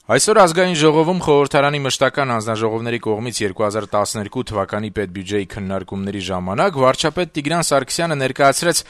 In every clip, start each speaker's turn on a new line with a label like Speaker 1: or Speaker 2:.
Speaker 1: Այսօր ազգային ժողովում խորհրդարանի մշտական հանձնաժողովների կողմից 2012 թվականի պետբյուջեի քննարկումների ժամանակ վարչապետ Տիգրան Սարգսյանը ներկայացրեց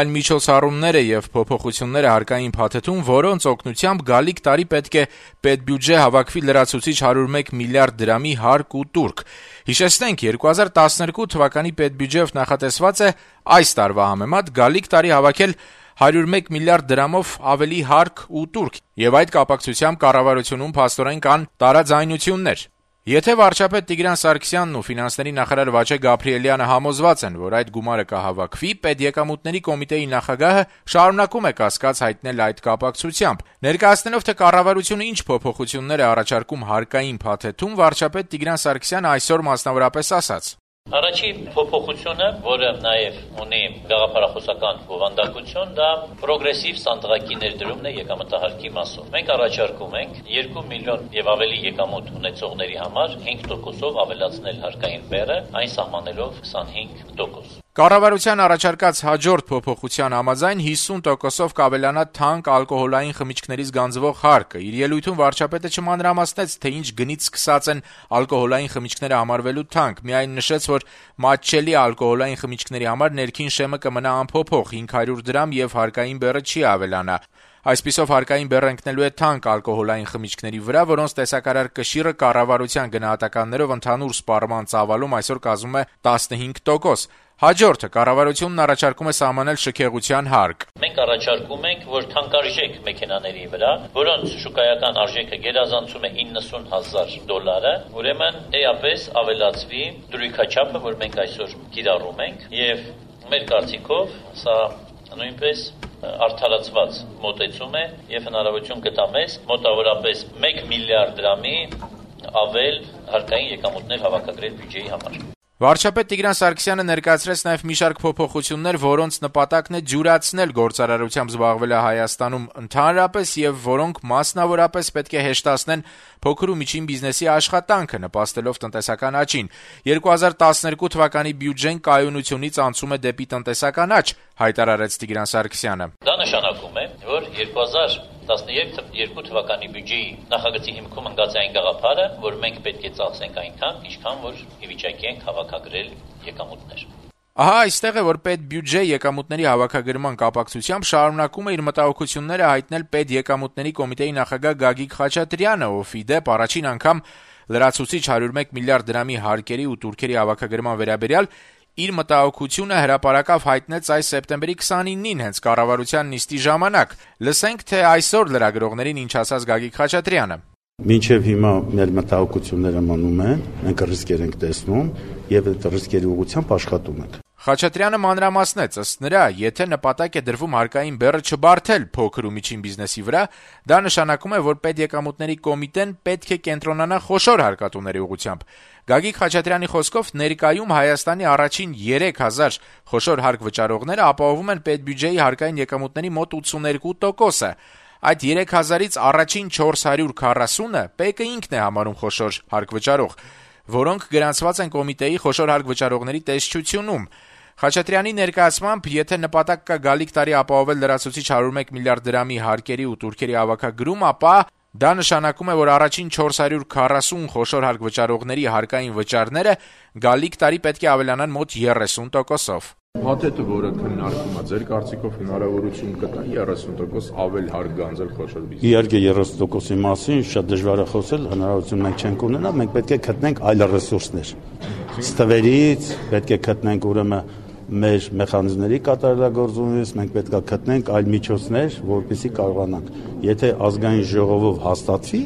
Speaker 1: այն միջոցառումները եւ փոփոխությունները հարկային փաթեթում, որոնց օգնությամբ գալիք տարի պետք է պետբյուջե հավաքվի լրացուցիչ 101 միլիարդ դրամի հարկ ու տուրք։ Հիշեցնենք, 2012 թվականի պետբյուջեով նախատեսված է այս տարվա համեմատ գալիք տարի հավաքել 101 միլիարդ դրամով ավելի հարկ ու տուրք, եւ այդ կապակցությամբ կառավարությունում փաստորեն կան տարաձայնություններ։ Եթե վարչապետ Տիգրան Սարգսյանն ու ֆինանսների նախարար Վաչե Գաբրիելյանը համոզված են, որ այդ գումարը կհավաքվի, պետեկամուտների կոմիտեի նախագահը շարունակում է կասկած հայտնել այդ կապակցությամբ։ Ներկայացնելով, թե կառավարությունը ինչ փոփոխություններ է առաջարկում հարկային փաթեթում, վարչապետ Տիգրան Սարգսյանը այսօր մասնավորապես ասաց.
Speaker 2: Առաջին փոփոխությունը, որը նաև ունի գաղափարախոսական բովանդակություն, դա պրոգրեսիվ սանդղակի ներդրումն է եկամտահարկի մասով։ Մենք առաջարկում ենք 2 միլիոն եւ ավելի եկամուտ ունեցողների համար 5%-ով ավելացնել հարկային բեռը, այն սահմանելով 25%։
Speaker 1: Կառավարության առաջարկած հաջորդ փոփոխության համաձայն 50%-ով կավելանա թանկ ալկոհոլային խմիչքներից գանձվող հարկը։ Իր ելույթում վարչապետը չմանրամասնեց, թե ինչ գնից սկսած են ալկոհոլային խմիչքները համարվելու թանկ, միայն նշեց, որ մատչելի ալկոհոլային խմիչքների համար ներքին շեմը կմնա անփոփոխ 500 դրամ եւ հարկային բեռը չի ավելանա։ Այսպիսով հարկային բեռը ընկնելու է թանկ ալկոհոլային խմիչքների վրա, որոնց տեսակարար կշիռը կառավարության գնահատականներով ընդհանուր սպառման ծավալում այսօր կազմում է 15%։ Հաջորդը կառավարությունն առաջարկում է սահմանել շքեղության հարկ։
Speaker 2: Մենք առաջարկում ենք, որ թանկարժեք մեքենաների վրա, որոնց շուկայական արժեքը գերազանցում է $90,000, ուրեմն էապես ավելացվի դրույքաչափը, որ մենք այսօր կիրառում ենք, եւ մեր կարծիքով սա նույնպես արդարացված մոտեցում է եւ հնարավորություն կտա մեզ մոտավորապես 1 միլիարդ դրամի ավել հարկային եկամուտներ հավաքագրել բյուջեի համար։
Speaker 1: Վարչապետ Տիգրան Սարգսյանը ներկայացրեց նաև մի շարք փոփոխություններ, որոնց նպատակն է ջուրացնել գործարարությամբ զբաղվելը Հայաստանում ընդհանրապես եւ որոնք մասնավորապես պետք է հեշտացնեն փոքր ու միջին բիզնեսի աշխատանքը, նպաստելով տնտեսական աճին։ 2012 թվականի բյուջեն կայունությունից անցում է դեպի տնտեսական աճ, հայտարարեց Տիգրան Սարգսյանը։
Speaker 2: Դա նշանակում է, որ 2012 թվականի բյուջեի նախագծի հիմքում ընկած այն գաղափարը, որ մենք պետք է ծախսենք այնքան, ինչքան որ ի վիճակի ենք հավաքագրել եկամուտներ։
Speaker 1: Ահա այստեղ է, որ պետբյուջե եկամուտների հավաքագրման կապակցությամբ շարունակում է իր մտահոգությունները հայտնել պետեկամուտների կոմիտեի նախագահ Գագիկ Խաչատրյանը, ով ի դեպ առաջին անգամ լրացուցիչ 101 միլիարդ դրամի հարկերի ու տուրքերի հավաքագրման վերաբերյալ իր մտահոգությունը հրապարակավ հայտնեց այս սեպտեմբերի 29-ին հենց կառավարության նիստի ժամանակ։ Լսենք, թե այսօր լրագրողներին ինչ ասաց Գագիկ Խաչատրյանը։
Speaker 3: Մինչև հիմա մեր մտահոգությունները մնում են, մենք ռիսկեր ենք տեսնում եւ այդ ռիսկերի ուղղությամբ աշխատում ենք։
Speaker 1: Խաչատրյանը մանրամասնեց, ըստ նրա, եթե նպատակ է դրվում հարկային բեռը չբարթել փոքր ու միջին բիզնեսի վրա, դա նշանակում է, որ պետեկամուտների կոմիտեն պետք է կենտրոնանա խոշոր հարկատուների ուղղությամբ։ Գագիկ Խաչատրյանի խոսքով ներկայում Հայաստանի առաջին 3000 խոշոր հարկ վճարողները ապահովում են պետբյուջեի հարկային եկամուտների մոտ 82%-ը։ Այդ 3000-ից առաջին 440-ը ՊԿ-ը ինքն է համարում խոշոր հարկ վճարող, որոնք գրանցված են կոմիտեի խոշոր հարկ վճարողների տեսչությունում։ Խաչատրյանի ներկայացմամբ, եթե նպատակ կա գալիք տարի ապահովել լրացուցիչ 101 միլիարդ դրամի հարկերի ու տուրքերի հավաքագրում, ապա դա նշանակում է, որ առաջին 440 խոշոր հարկ վճարողների հարկային վճարները գալիք տարի պետք է ավելանան մոտ 30%-ով։
Speaker 4: Փաթեթը, որը քննարկվում է, ձեր կարծիքով հնարավորություն կտա 30% ավել հարկ գանձել խոշոր բիզնեսին։
Speaker 3: Իհարկե 30%-ի մասին շատ դժվար է խոսել, հնարավորություն մենք չենք ունենա, մենք պետք է գտնենք այլ ռեսուրսներ։ Ստվերից պետք է գտնենք ուրեմն մեր մեխանիզմների կատարելագործումից, մենք պետք է գտնենք այլ միջոցներ, որպեսզի կարողանանք։ Եթե ազգային ժողովով հաստատվի,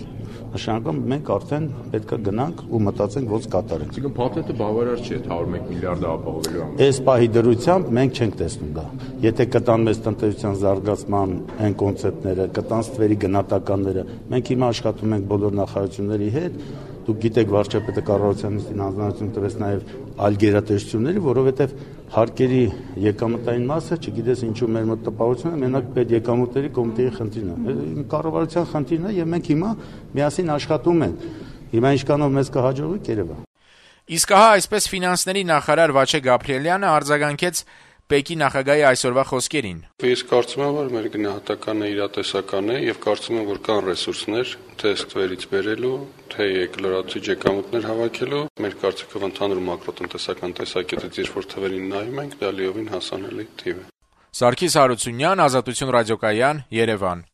Speaker 3: նշանակում մենք արդեն պետք է գնանք ու մտածենք ոնց կատարենք։
Speaker 4: Այսինքն փաթեթը բավարար չէ 101 միլիարդը ապահովելու համար։
Speaker 3: Այս պահի դրությամբ մենք չենք տեսնում դա։ Եթե կտան մեզ տնտեսության զարգացման այն կոնցեպտները, կտան ստվերի գնահատականները, մենք հիմա աշխատում ենք բոլոր նախարարությունների հետ։ Դուք գիտեք, վարչապետը կառավարության նիստին հանձնարարություն տվեց նաև այլ գերատեսչությունների, որովհետև հարկերի եկամտային մասը, չգիտես ինչու մեր մոտ տպավորություն է, մենակ պետեկամուտների կոմիտեի խնդիրն է։ Կառավարության խնդիրն է եւ մենք հիմա միասին աշխատում ենք։ Հիմա ինչքանով մեզ կհաջողվի, կերևա։
Speaker 1: Իսկ ահա այսպես ֆինանսների նախարար Վաչե Գաբրիելյանը արձագանքեց ՊԵԿ-ի նախագահի այսօրվա խոսքերին.
Speaker 5: Ես կարծում եմ, որ մեր գնահատականը իրատեսական է եւ կարծում եմ, որ կան ռեսուրսներ թե ստվերից բերելու, թե լրացուցիչ եկամուտներ հավաքելու։ Մեր կարծիքով ընդհանուր մակրոտնտեսական տեսակետից երբ որ թվերին նայում ենք, դա լիովին հասանելի թիվ է։
Speaker 1: Սարգիս Հարությունյան, Ազատություն ռադիոկայան, Երևան։